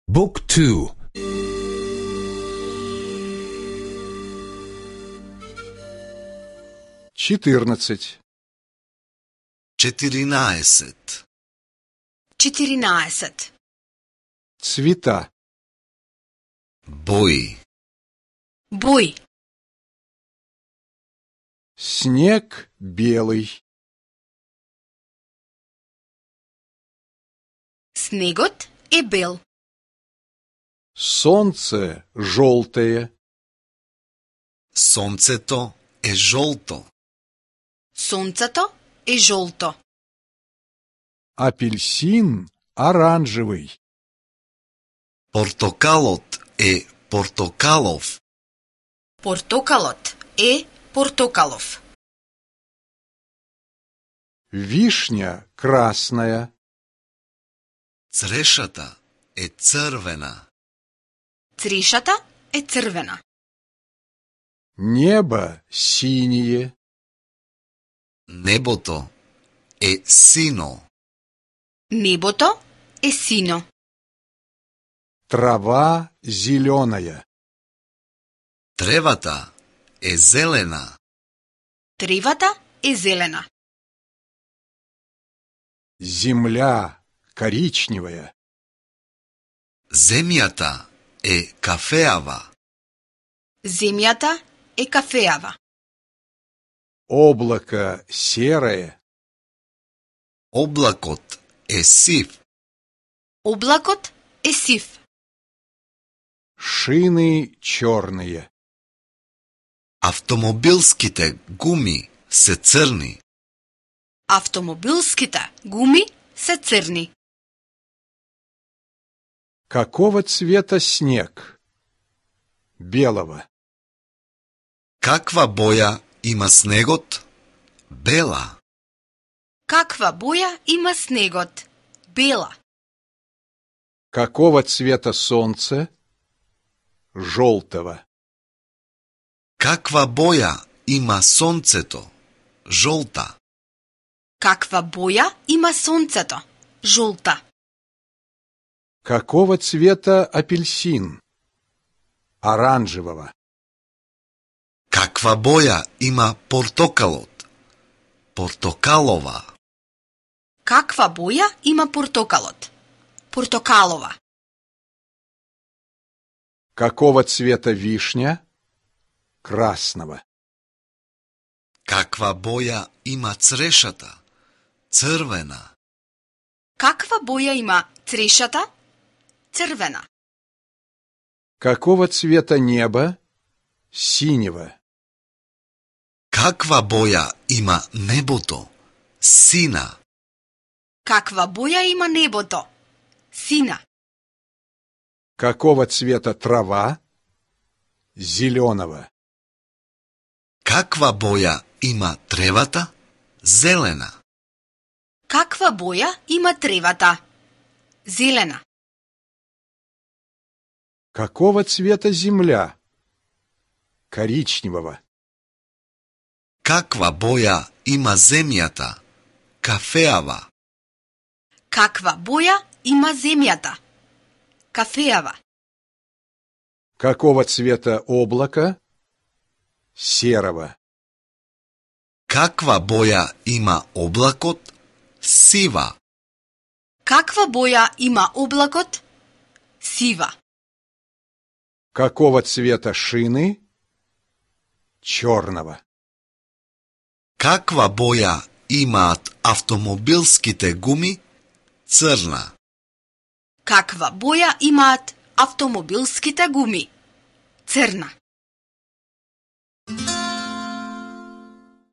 Book 2. 14. 14. 14. Цвета. Бои. Бои. Снег белый. Снегот е бел. Солнце желтое. Сонцето е жолто. Сонцето е жолто. Апельсин оранжевый. Портокалот е портокалов. Портокалот е портокалов. Вишня красная. Црешата е црвена. Црешата е црвена. Небо синее. Небото е сино. Небото е сино. Трава зеленая. Тревата е зелена. Тревата е зелена. Земля коричневая. Земјата е кафеава. Земјата е кафеава. Облако серое. Облакот е сив. Облакот е сив. Шины черные. Автомобилските гуми се црни. Автомобилските гуми се црни. Какого цвета снег? Белого. Каква боја има снегот? Бела. Каква боја има снегот? Бела. Какого цвета солнце? Желтого. Каква боја има сонцето? Жолта. Каква боја има сонцето? Жолта. Какого цвета апельсин? Оранжевого. Каква боја има портокалот? Портокалова. Каква боја има портокалот? Портокалова. Какого цвета вишня? Красного. Каква боја има црешата? Црвена. Каква боја има црешата? Црвена. Какого цвета небо? Синего. Каква боја има небото? Сина. Каква боја има небото? Сина. Какого цвета трава? Зеленого. Каква боја има тревата? Зелена. Каква боја има тревата? Зелена. Какого цвета земля? Коричневого. Каква боја има земјата? Кафеава. Каква боја има земјата? Кафеава. Какого цвета облако? Серого. Каква боја има облакот? Сива. Каква боја има облакот? Сива. Какого цвета шины? Черного. Каква боја имаат автомобилските гуми? Црна. Каква боја имаат автомобилските гуми? Црна.